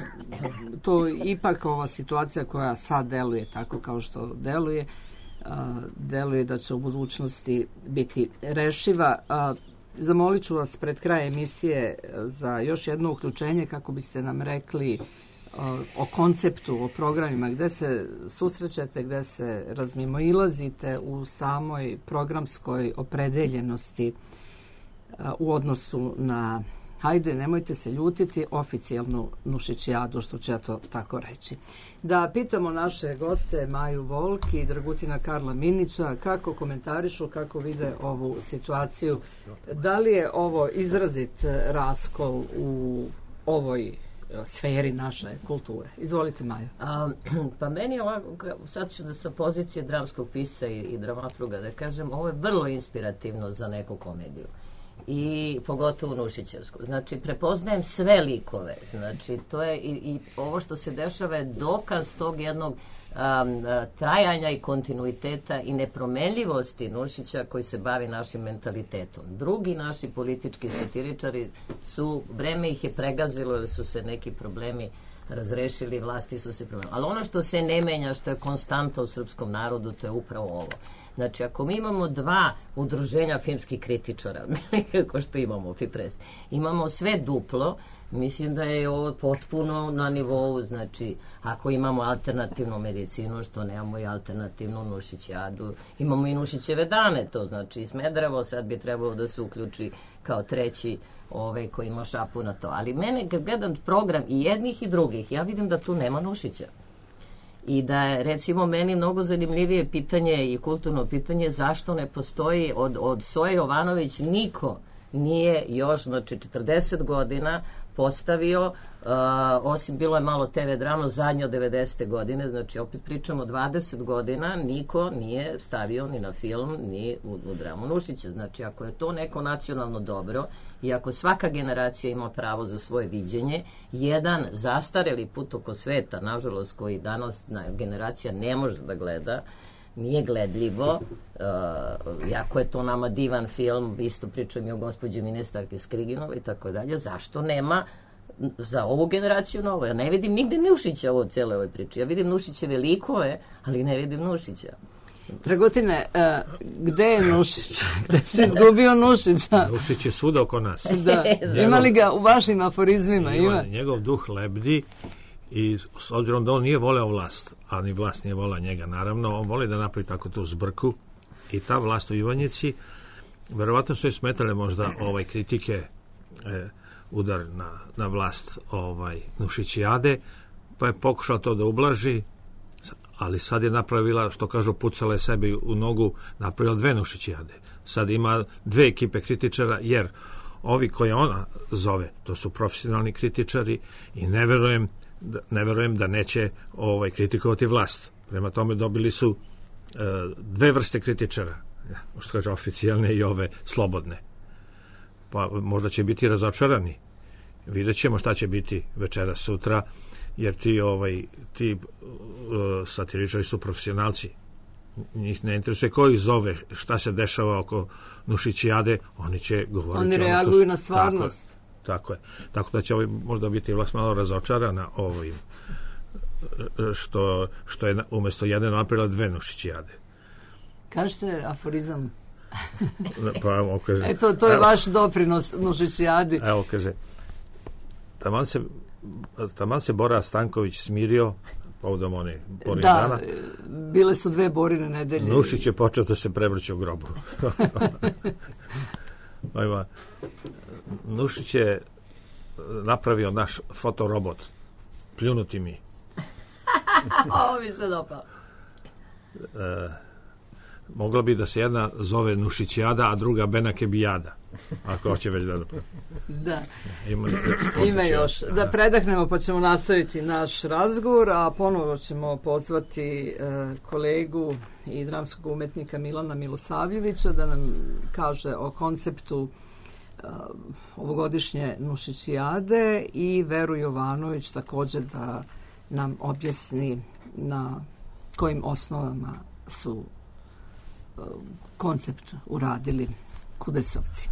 to ipak ova situacija koja sad deluje tako kao što deluje, deluje da će u budućnosti biti rešiva. Zamolit ću vas pred kraj emisije za još jedno uključenje kako biste nam rekli o konceptu, o programima, gde se susrećete, gde se razmimoilazite u samoj programskoj opredeljenosti u odnosu na, hajde, nemojte se ljutiti, oficijalnu Nušićijadu, što ću ja to tako reći. Da pitamo naše goste Maju Volk i Dragutina Karla Minića kako komentarišu, kako vide ovu situaciju. Da li je ovo izrazit raskol u ovoj sferi naše kulture? Izvolite, Maja. A, pa meni je ovako, sad ću da sa pozicije dramskog pisa i, i dramaturga da kažem, ovo je vrlo inspirativno za neku komediju. I pogotovo Nušićevsku. Znači, prepoznajem sve likove. Znači, to je i, i ovo što se dešava je dokaz tog jednog um, trajanja i kontinuiteta i nepromenljivosti Nušića koji se bavi našim mentalitetom. Drugi naši politički satiričari su, vreme ih je pregazilo jer su se neki problemi razrešili, vlasti su se promenili. Ali ono što se ne menja, što je konstanta u srpskom narodu, to je upravo ovo. Znači, ako mi imamo dva udruženja filmskih kritičara, kako što imamo, Fipres, imamo sve duplo, Mislim da je ovo potpuno na nivou, znači, ako imamo alternativnu medicinu, što nemamo i alternativnu nušićijadu, imamo i nušićeve dane, to znači Smederevo, sad bi trebalo da se uključi kao treći ovaj, koji ima šapu na to. Ali mene, kad gledam program i jednih i drugih, ja vidim da tu nema Nušića. I da je, recimo, meni mnogo zanimljivije pitanje i kulturno pitanje zašto ne postoji od, od Soje Jovanović niko nije još, znači, četrdeset godina postavio, uh, osim bilo je malo te ve drama zadnje od devedesete godine, znači opet pričamo dvadeset godina, niko nije stavio ni na film, ni u, u dramu Nušića. Znači, ako je to neko nacionalno dobro i ako svaka generacija ima pravo za svoje viđenje, jedan zastareli put oko sveta, nažalost, koji danas na, generacija ne može da gleda, nije gledljivo, uh, jako je to nama divan film, isto pričam i o gospođi ministarke Skriginova i tako dalje, zašto nema za ovu generaciju novo? Ja ne vidim nigde Nušića u cijeloj ovoj priči, ja vidim Nušićeve likove, ali ne vidim Nušića. Dragotine, uh, gde je Nušić? Gde se izgubio Nušića? Nušić je svuda oko nas. Da. Ima li ga u vašim aforizmima? Ima, ima. Njegov duh lebdi i s obzirom da on nije voleo vlast, a ni vlast nije volela njega, naravno, on voli da napravi tako tu zbrku i ta vlast u Ivanjici, verovatno su joj smetale možda ovaj, kritike, e, udar na, na vlast ovaj, Nušićijade, pa je pokušao to da ublaži, ali sad je napravila, što kažu, pucala je sebi u nogu, napravila dve Nušićijade. Sad ima dve ekipe kritičara, jer ovi koje ona zove, to su profesionalni kritičari i ne verujem da, ne verujem da neće ovaj, kritikovati vlast. Prema tome dobili su e, dve vrste kritičara, što kaže oficijalne i ove slobodne. Pa možda će biti razočarani. Vidjet ćemo šta će biti večera sutra, jer ti, ovaj, ti uh, satiričari su profesionalci. Njih ne interesuje ko ih zove, šta se dešava oko Nušićijade, oni će govoriti. Oni reaguju na stvarnost. Tako je. Tako da će ovaj možda biti vlast malo razočarana ovim, što, što je umjesto jedne napravila dve Nušićijade. Kažete aforizam. Pa evo, kaže. Eto, to je evo, vaš doprinos Nušićijadi. Evo, kaže, taman se, taman se Bora Stanković smirio povodom one Borine da, dana. Bile su dve Borine nedelje. Nušić je počeo da se prevrće u grobu. Ima, Nušić je napravio naš fotorobot. Pljunuti mi. Ovo mi se dopao. E, mogla bi da se jedna zove Nušićijada, a druga Benakebijada. Ako hoće već da napravi. Da. Ima, Ima još. Da predahnemo pa ćemo nastaviti naš razgovor, a ponovo ćemo pozvati uh, kolegu i dramskog umetnika Milana Milosavljevića da nam kaže o konceptu uh, ovogodišnje Nušićijade i Veru Jovanović također da nam objasni na kojim osnovama su uh, koncept uradili Kudesovci.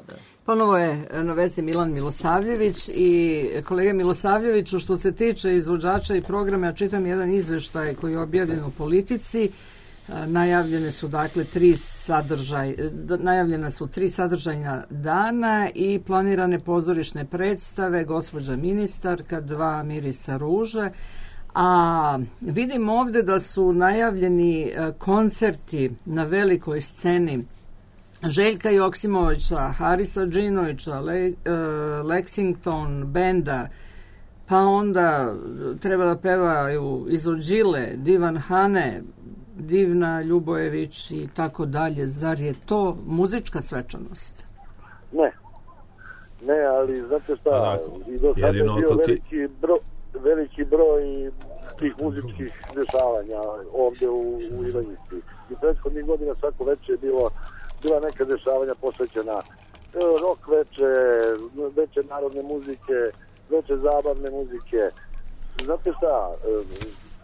da. Ponovo je na vezi Milan Milosavljević i kolega Milosavljeviću, što se tiče izvođača i programa, ja čitam jedan izveštaj koji je objavljen u Politici. Najavljene su dakle tri sadržaj, najavljena su tri sadržajna dana i planirane pozorišne predstave, Gospođa ministarka, Dva mirisa ruže, a vidim ovde da su najavljeni koncerti na velikoj sceni Željka Joksimovića, Harisa Džinovića, Le, uh, Lexington benda, pa onda treba da pevaju Izođile, Divan Hane, Divna Ljubojević i tako dalje. Zar je to muzička svečanost? Ne. Ne, ali znate šta, i do sada je bio veliki broj, veliki broj tih muzičkih dešavanja ovde u, u Ivanjici. I prethodnih godina svako veče je bilo bila neka dešavanja posvećena rock veče, veče narodne muzike, veče zabavne muzike. Znate šta,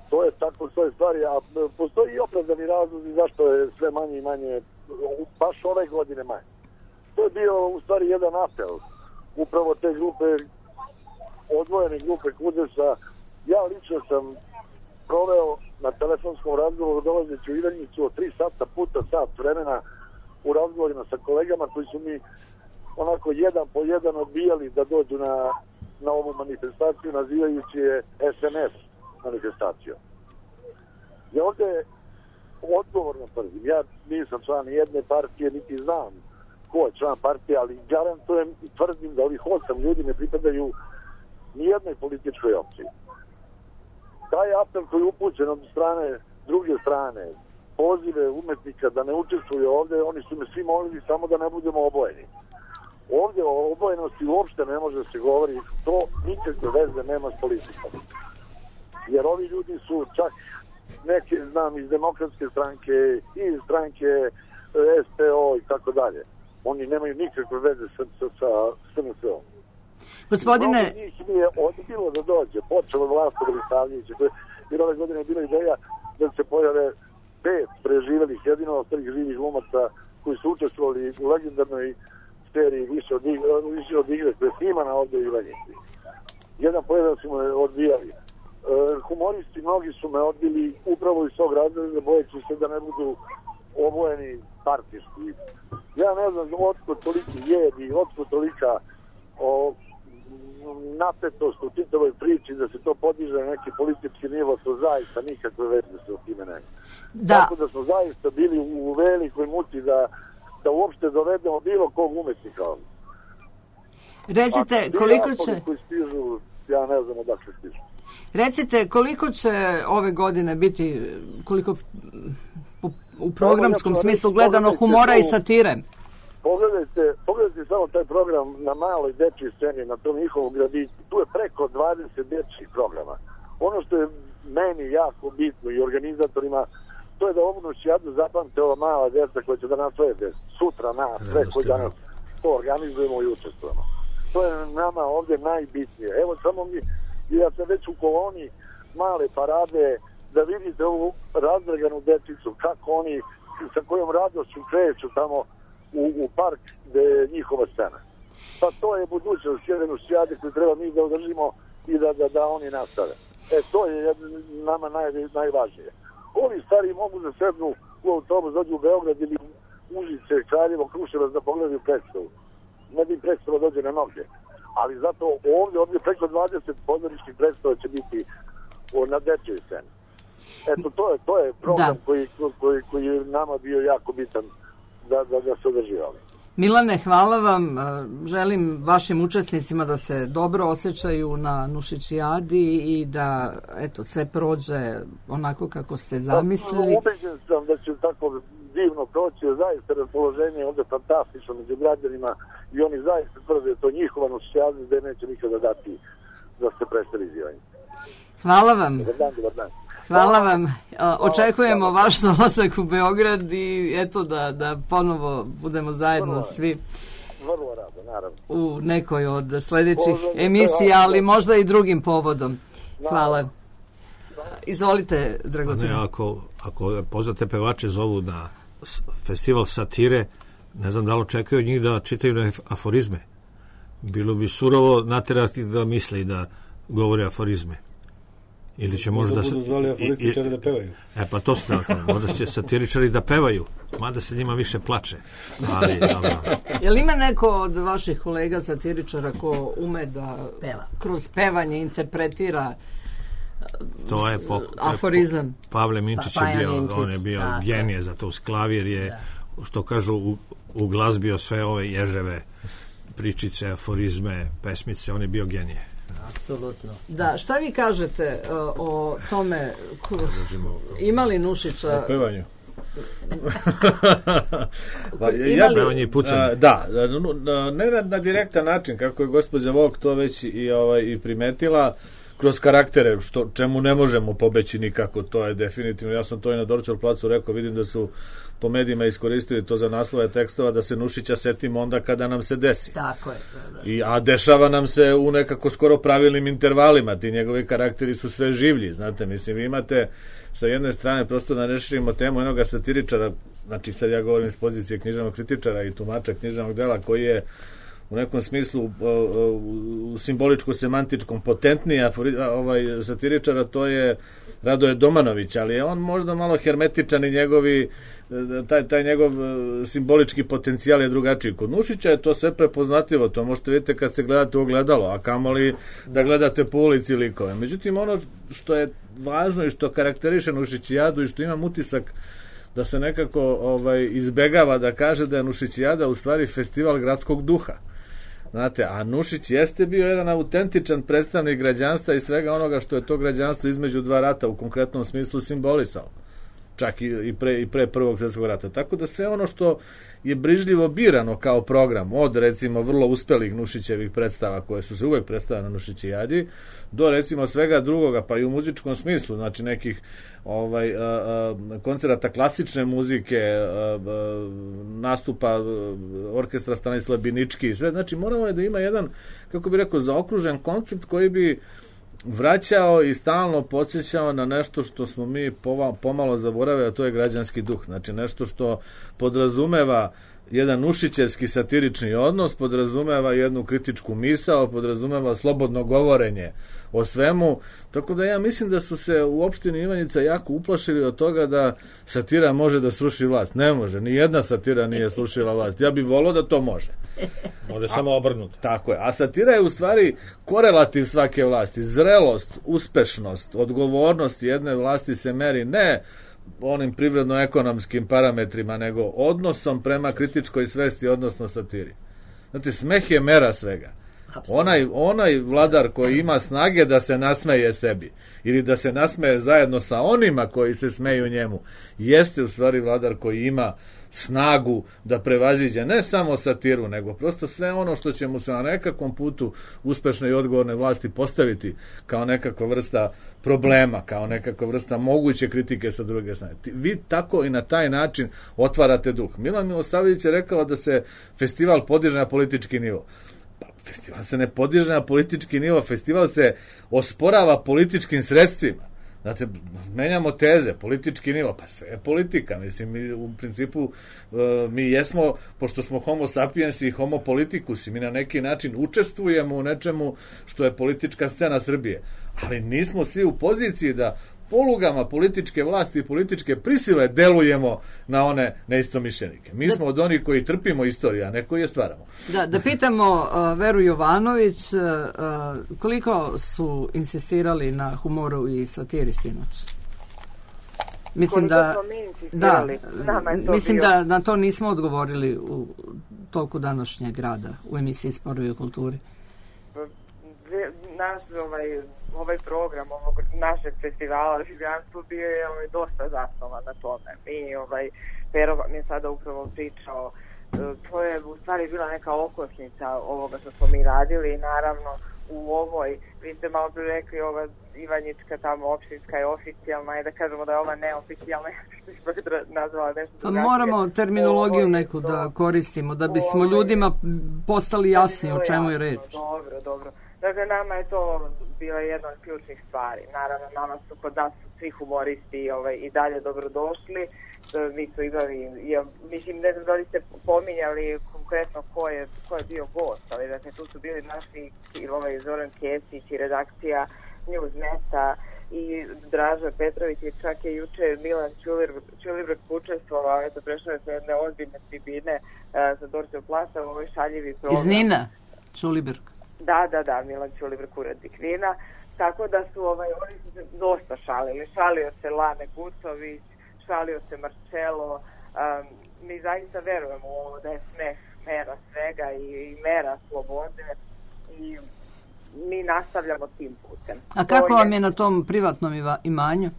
to je tako svoje stvari, a postoji i opravdani razlozi zašto je sve manje i manje, baš ove godine manje. To je bio u stvari jedan apel upravo te grupe, odvojene grupe Kudesa. Ja lično sam proveo na telefonskom razgovoru dolazeći u Ivanjicu od tri sata puta sat vremena u razgovorima sa kolegama koji su mi onako jedan po jedan odbijali da dođu na, na ovu manifestaciju, nazivajući je es en es manifestacijom. Ja ovde odgovorno tvrdim, ja nisam član jedne partije, niti znam ko je član partije, ali garantujem i tvrdim da ovih osam ljudi ne pripadaju nijednoj političkoj opciji. Taj apel koji je upućen od strane, druge strane, pozive umetnika da ne učestvuju ovde, oni su me svi molili samo da ne budemo obojeni. Ovde o obojenosti uopšte ne može se govori, to nikakve veze nema s politikom. Jer ovi ljudi su čak neke, znam, iz demokratske stranke, iz stranke es pe o i tako dalje. Oni nemaju nikakve veze sa, sa, sa es en es om. Gospodine... Mnogo njih mi je odbilo da dođe, počelo vlast od Stavljevića, jer ove godine je bila ideja da se pojave pet preživelih, jedino ostalih živih glumaca koji su učestvovali u legendarnoj seriji Više od igre, više od igre koja je snimana ovde u Ivanjici. Jedan pojedan su me odbijali. E, humoristi mnogi su me odbili upravo iz tog razloga, bojeći se da ne budu obojeni partijski. Ja ne znam otkud toliki jedi, otkud tolika o, napetost u čitavoj priči da se to podiže na neki politički nivo, to zaista nikakve veze se o time nema. Da. Tako da smo zaista bili u velikoj muci da, da uopšte dovedemo bilo kog umetnika. Recite, koliko će... Koji stižu, ja ne znam odakle stižu. Recite, koliko će ove godine biti, koliko u programskom smislu gledano humora i satire? Pogledajte, pogledajte samo taj program na maloj dečji sceni, na tom njihovom gradiću. Tu je preko dvadeset dečjih programa. Ono što je meni jako bitno i organizatorima, to je da ovu noćijadu zapamte ova mala djeca koja će da naslede sutra nas, sve koji danas to organizujemo i učestvujemo. To je nama ovdje najbitnije. Evo samo mi, ja sam već u koloni male parade, da vidite ovu razdraganu dječicu, kako oni, sa kojom radošću kreću tamo U, u park gde je njihova scena. Pa to je budućnost jedne noćijade koju treba mi da održimo i da, da, da oni nastave. E, to je jedno, nama naj, najvažnije. Ovi stari mogu da sednu u autobus, dođu u Beograd ili Užice, Kraljevo, Kruševac da pogledaju predstavu. Ne bi predstava dođe na noge. Ali zato ovdje, ovdje preko dvadeset pozorišnih predstava će biti o, na dečjoj sceni. Eto, to je, to je program koji, koji, koji je nama bio jako bitan da, da, da se održi ovdje. Milane, hvala vam. Želim vašim učesnicima da se dobro osjećaju na Nušićijadi i da eto, sve prođe onako kako ste zamislili. Ubeđen sam da će tako divno proći, zaista raspoloženje je ovdje fantastično među građanima i oni zaista tvrde to njihova Nušićijada gde neće nikada dati da se predstavi izjavanje. Hvala vam. Dobar dan, dobar dan. Hvala vam. Očekujemo vaš dolazak u Beograd i eto da, da ponovo budemo zajedno svi vrlo rado, naravno. u nekoj od sljedećih emisija, ali možda i drugim povodom. Hvala. Izvolite, Dragutin. Ne, ako, ako poznate pevače zovu na festival satire, Ne znam da li očekaju od njih da čitaju na aforizme. Bilo bi surovo naterati da misle i da govore aforizme. Ili će možda... Da budu zvali aforističari da pevaju. E pa to se tako, možda će satiričari da pevaju, mada se njima više plače. Ali, dobro. Jel ima neko od vaših kolega satiričara ko ume da peva, kroz pevanje interpretira to je po, aforizam? Po, Pavle Minčić pa, je bio, Minčić, on je bio da, genije za to. Sklavir je, da. Što kažu, u, uglazbio sve ove ježeve pričice, aforizme, pesmice, on je bio genije. Apsolutno. Da, šta vi kažete uh, o tome, ko, ima li Nušića... O pevanju. Pa, ja, pevanje i pucanje. Da, ne na, na direktan način, kako je gospođa Vok to već i, ovaj, i primetila, kroz karaktere, što, čemu ne možemo pobeći nikako, to je definitivno. Ja sam to i na Dorćol placu rekao, vidim da su po medijima iskoristili to za naslove tekstova, da se Nušića setimo onda kada nam se desi. Tako je. I, a dešava nam se u nekako skoro pravilnim intervalima, ti njegovi karakteri su sve življi, znate, mislim, vi imate sa jedne strane, prosto da ne širimo temu jednoga satiričara, znači sad ja govorim iz pozicije književnog kritičara i tumača književnog dela, koji je u nekom smislu u simboličko-semantičkom potentniji ovaj satiričara, to je Radoje Domanović, ali je on možda malo hermetičan i njegovi taj, taj njegov simbolički potencijal je drugačiji. Kod Nušića je to sve prepoznatljivo, to možete vidjeti kad se gledate u ogledalo, a kamoli da gledate po ulici likove. Međutim, ono što je važno i što karakteriše Nušićijadu i što imam utisak da se nekako ovaj, izbegava da kaže da je Nušićijada u stvari festival gradskog duha. Znate, a Nušić jeste bio jedan autentičan predstavnik građanstva i svega onoga što je to građanstvo između dva rata u konkretnom smislu simbolisalo. Čak i, i, pre, i pre prvog svjetskog rata. Tako da sve ono što je brižljivo birano kao program, od recimo vrlo uspelih Nušićevih predstava koje su se uvek predstavljene na Nušićijadi, do recimo svega drugoga, pa i u muzičkom smislu, znači nekih ovaj, a, a, koncerata klasične muzike, a, a, nastupa a, orkestra Stanislav Binički i sve, znači moramo je da ima jedan, kako bi rekao, zaokružen koncept koji bi vraćao i stalno podsjećao na nešto što smo mi pomalo zaboravili, a to je građanski duh. Znači nešto što podrazumeva jedan nušićevski satirični odnos, podrazumeva jednu kritičku misao, podrazumeva slobodno govorenje o svemu, tako da ja mislim da su se u opštini Ivanjica jako uplašili od toga da satira može da sruši vlast. Ne može, ni jedna satira nije srušila vlast. Ja bih volao da to može. Može samo obrnuto. Tako je. A satira je u stvari korelativ svake vlasti. Zrelost, uspešnost, odgovornost jedne vlasti se meri ne onim privredno-ekonomskim parametrima, nego odnosom prema kritičkoj svesti, odnosno satiri. Znate, smeh je mera svega. Onaj, onaj vladar koji ima snage da se nasmeje sebi ili da se nasmeje zajedno sa onima koji se smeju njemu, jeste u stvari vladar koji ima snagu da prevaziđe ne samo satiru, nego prosto sve ono što će mu se na nekakvom putu uspešne i odgovorne vlasti postaviti kao nekakva vrsta problema, kao nekakva vrsta moguće kritike sa druge strane. Vi tako i na taj način otvarate duh. Milan Milosavljević je rekao da se festival podiže na politički nivo. Festival se ne podiže na politički nivo, festival se osporava političkim sredstvima. Znate, menjamo teze, politički nivo, pa sve je politika. Mislim, mi u principu mi jesmo, pošto smo homo sapiens i homo politikus, i mi na neki način učestvujemo u nečemu što je politička scena Srbije. Ali nismo svi u poziciji da polugama političke vlasti i političke prisile delujemo na one neistomišljenike. Mi smo od onih koji trpimo istoriju, a ne koji je stvaramo. Da, da pitamo uh, Veru Jovanović, uh, koliko su insistirali na humoru i satiri sinoć? Mislim da, da, mislim da na to nismo odgovorili u toku današnjeg rada u emisiji Sporovi o kulturi. Naš ovaj, ovaj program ovog našeg festivala Življanstvo bio je ovaj, dosta zasnovan na tome. Mi, ovaj, Pero mi je sada upravo pričao, to je u stvari bila neka okosnica ovoga što smo mi radili i naravno u ovoj, vi ste malo prije rekli, ova Ivanjička tamo opštinska je oficijalna i da kažemo da je ova neoficijalna, što bih nazvala nešto drugačije. Moramo terminologiju neku da koristimo, da bismo ljudima postali jasni o čemu je reč. Dobro, dobro. Dakle, nama je to bila jedna od ključnih stvari. Naravno, nama su kod nas svi humoristi ovaj, i dalje dobrodošli mi smo imali, ja, mislim, ne znam da li ste pominjali konkretno ko je, ko je bio gost, ali dakle, tu su bili naši ovaj, Zoran Kesić i redakcija Newsneta i Draža Petrović i čak je juče Milan Ćulibrk učestvovao, eto, prešao je sa jedne ozbiljne tribine uh, za Dorčev plasa u ovoj šaljivi program. Iz Nina, Ćulibrk. Da, da, da, Milan Ćulibrk, urednik Nina. Tako da su, ovaj, oni su se dosta šalili. Šalio se Lane Gucović, šalio se Marcello. Um, mi zaista verujemo u ovo da je smeh mera svega i, i mera slobode i mi nastavljamo tim putem. A kako to vam je je na tom privatnom iva, imanju?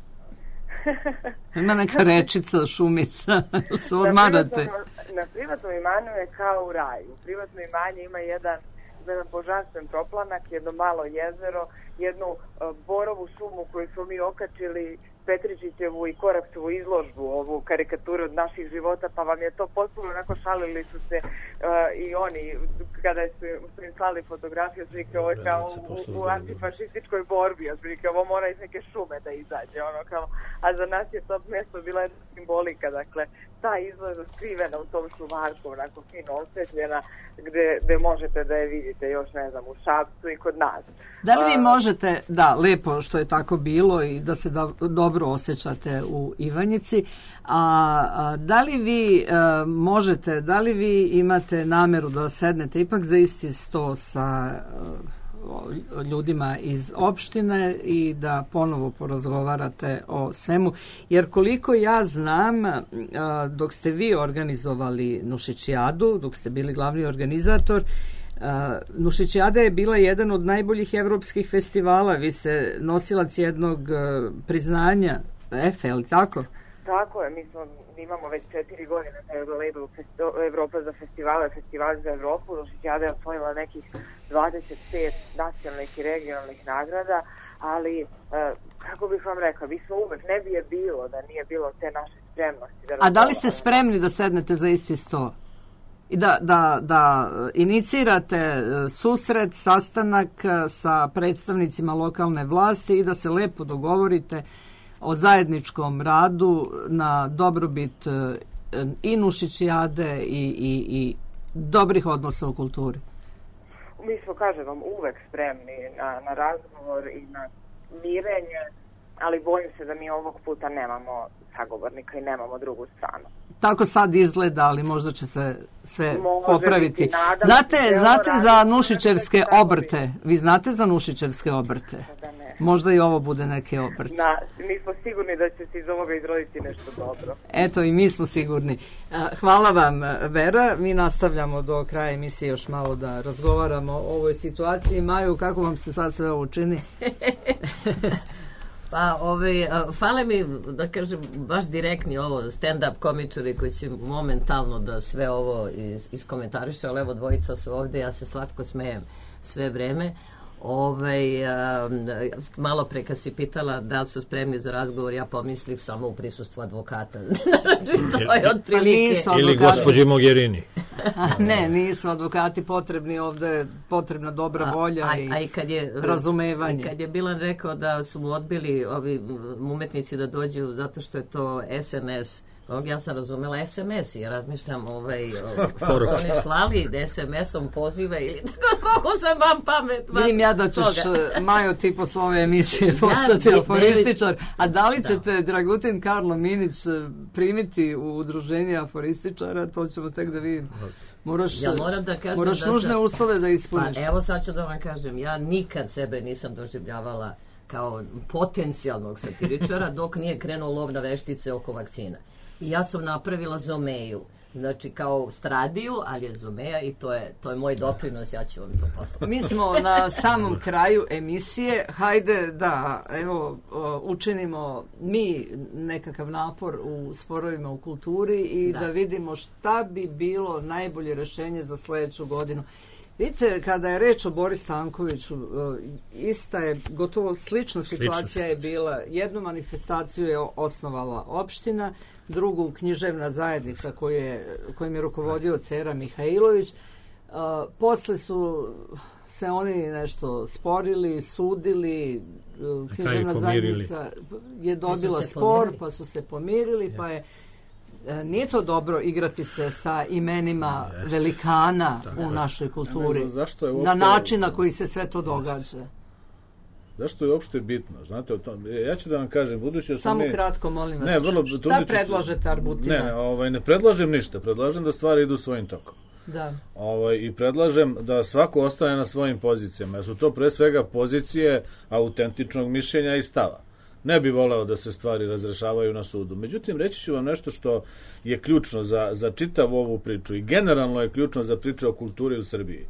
Ima neka rečica, šumica, se odmarate. Na privatnom, na privatnom imanju je kao u raju. Privatno imanje ima jedan jedan božanstven toplanak, jedno malo jezero, jednu uh, borovu šumu koju smo mi okačili, Petričićevu i Koraksovu izložbu, ovu karikaturu od naših života, pa vam je to potpuno onako, šalili su se uh, i oni kada su, su im slali fotografije, otprilike ovo je kao u, u antifašističkoj borbi, otprilike ovo mora iz neke šume da izađe, ono kao, a za nas je to mjesto bila jedna simbolika, dakle, ta izložba skrivena u tom šumarku, onako fino osvetljena, gde, gde možete da je vidite još, ne znam, u Šapcu i kod nas. Da li vi možete, da, lepo što je tako bilo i da se da, dobro osjećate u Ivanjici, a, a da li vi a, možete, da li vi imate nameru da sednete ipak za isti sto sa a, ljudima iz opštine i da ponovo porazgovarate o svemu, jer koliko ja znam, dok ste vi organizovali Nušićijadu, dok ste bili glavni organizator, Nušićijada je bila jedan od najboljih evropskih festivala, vi ste nosilac jednog priznanja E F E, ali tako? Tako je, mi smo, imamo već četiri godine na labelu Evropa za festivale, festivali za Evropu. Nušićijada je osvojila nekih dvadeset pet nacionalnih i regionalnih nagrada, ali e, kako bih vam rekla, vi smo uvek, ne bi je bilo da nije bilo te naše spremnosti. Da A da li ste spremni da sednete za isti sto? I da, da, da inicirate susret, sastanak sa predstavnicima lokalne vlasti i da se lepo dogovorite o zajedničkom radu na dobrobit i Nušićijade i, i, i dobrih odnosa u kulturi? Mi smo, kažem vam, uvek spremni na, na razgovor i na mirenje, ali bojim se da mi ovog puta nemamo sagovornika i nemamo drugu stranu. Tako sad izgleda, ali možda će se sve Može popraviti. Biti, nadam, znate znate radi, za Nušićevske obrte? Vi znate za Nušićevske obrte? Možda i ovo bude neki obrt. Na, mi smo sigurni da će se iz ovoga izroditi nešto dobro. Eto, i mi smo sigurni. Hvala vam, Vera. Mi nastavljamo do kraja emisije još malo da razgovaramo o ovoj situaciji. Maju, kako vam se sad sve ovo čini? Pa, ovaj, fale mi, da kažem, baš direktni ovo, stand-up komičari koji će momentalno da sve ovo is, iskomentariše, ali evo dvojica su ovde, ja se slatko smejem sve vreme. Ovaj, a, malo pre kad si pitala da li su spremni za razgovor, ja pomislih samo u prisustvu advokata. Znači, to je otprilike. Ili gospođi Mogherini. Ne, nisu advokati potrebni, ovde je potrebna dobra volja a, a, i, a i kad je, razumevanje. I kad je Bilan rekao da su mu odbili ovi umetnici da dođu zato što je to S M S, ja sam razumela S M S i ja razmišljam ovaj, su oni slali S M S-om pozive ili kako sam vam pamet. Vidim ja da ćeš, Majo, ti posle ove emisije postati ja, aforističar, a da li ćete da. Dragutin Karlo Minić primiti u udruženje aforističara, to ćemo tek da vidimo. Moraš, ja moram da kažem moraš da nužne sam, uslove da ispuniš. Pa evo sad ću da vam kažem, ja nikad sebe nisam doživljavala kao potencijalnog satiričara dok nije krenuo lov na veštice oko vakcina. I ja sam napravila Zomeju, znači kao Stradiju, ali je Zomeja i to je, to je moj doprinos, ja ću vam to poslati. Mi smo na samom kraju emisije, hajde da evo učinimo mi nekakav napor u sporovima u kulturi i da, da vidimo šta bi bilo najbolje rešenje za sledeću godinu. Vidite, kada je reč o Boris Stankoviću, ista je, gotovo slična situacija je bila. Jednu manifestaciju je osnovala opština, drugu književna zajednica koju je, kojim je rukovodio Cera Mihajlović. Uh, posle su se oni nešto sporili, sudili, uh, književna zajednica je dobila spor, pa su se pomirili, yes. pa je E, nije to dobro igrati se sa imenima Jeste. velikana Tako u je. našoj kulturi. Ja zašto je uopšte, na način na koji se sve to događa. Zašto je uopšte bitno? Znate, o tom, ja ću da vam kažem, budući da Samo mi... kratko, molim vas. Ne, vrlo, šta predlažete Arbutina? Ne, ne, ovaj, ne predlažem ništa. Predlažem da stvari idu svojim tokom. Da. Ovaj, I predlažem da svako ostane na svojim pozicijama. Jer su to pre svega pozicije autentičnog mišljenja i stava. Ne bi voleo da se stvari razrešavaju na sudu. Međutim, reći ću vam nešto što je ključno za, za čitavu ovu priču i generalno je ključno za priču o kulturi u Srbiji.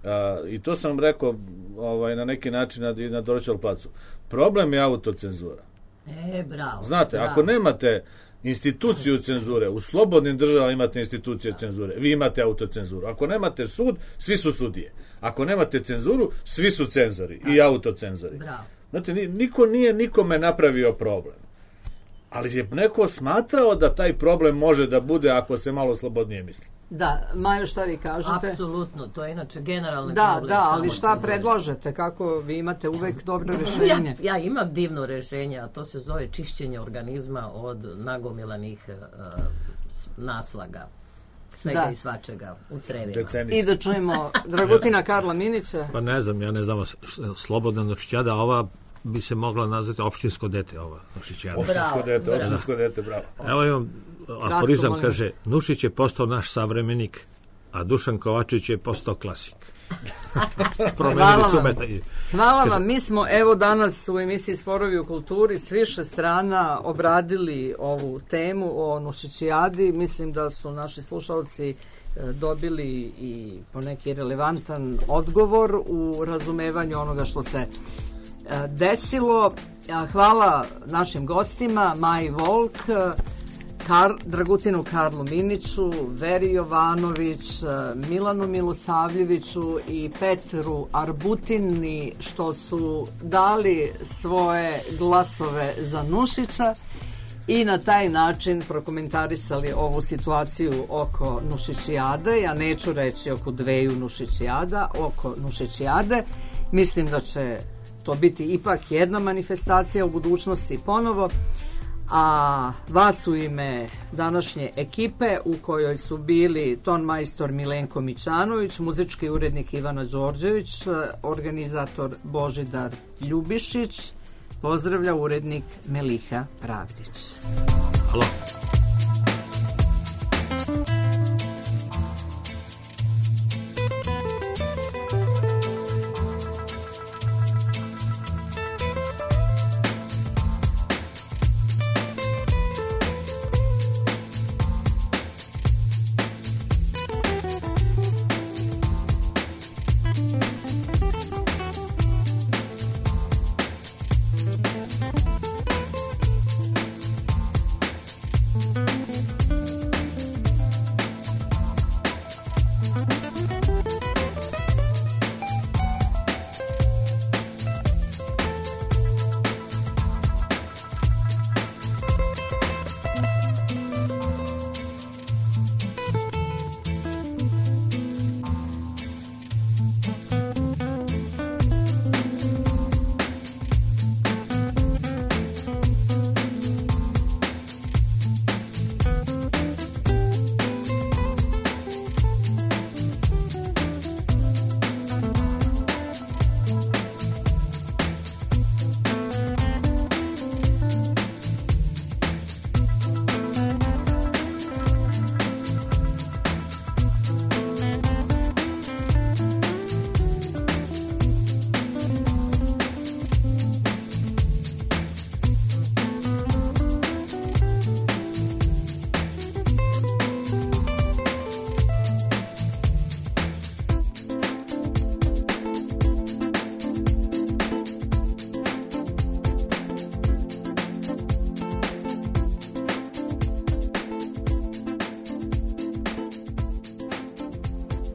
Uh, I to sam rekao ovaj, na neki način na, na Dorćol placu. Problem je autocenzura. E, bravo. Znate, bravo. ako nemate instituciju cenzure, u slobodnim državama imate institucije cenzure, vi imate autocenzuru. Ako nemate sud, svi su sudije. Ako nemate cenzuru, svi su cenzori i autocenzori. Bravo. Znate, niko nije nikome napravio problem. Ali je neko smatrao da taj problem može da bude ako se malo slobodnije misli. Da, Majo, šta vi kažete? Apsolutno, to je inače generalni da, problem. Da, ali šta predlažete? Kako vi imate uvek dobro rešenje? Ja, ja imam divno rešenje, a to se zove čišćenje organizma od nagomilanih uh, naslaga. Svega da. I svačega u crevima. I da čujemo Dragutina Karla Minića. Pa ne znam, ja ne znam, slobodna noććada, ova bi se mogla nazvati opštinsko dete, ova Nušićijada. Opštinsko dete, opštinsko dete, bravo. Evo imam aforizam, Kratko, kaže, Nušić je postao naš savremenik, a Dušan Kovačić je postao klasik. Hvala vam. Hvala vam. Mi smo evo danas u emisiji Sporovi u kulturi s više strana obradili ovu temu o Nušićijadi. Mislim da su naši slušalci dobili i poneki relevantan odgovor u razumevanju onoga što se desilo. Hvala našim gostima, Maji Volk, Kar, Dragutinu Karlu Miniću, Veri Jovanović, Milanu Milosavljeviću i Petru Arbutini što su dali svoje glasove za Nušića i na taj način prokomentarisali ovu situaciju oko Nušićijade. Ja neću reći oko dveju Nušićijada, oko Nušićijade. Mislim da će to biti ipak jedna manifestacija u budućnosti ponovo. A vas u ime današnje ekipe u kojoj su bili ton majstor Milenko Mićanović, muzički urednik Ivana Đorđević, organizator Božidar Ljubišić, pozdravlja urednik Meliha Pravdić. Halo. Thank you.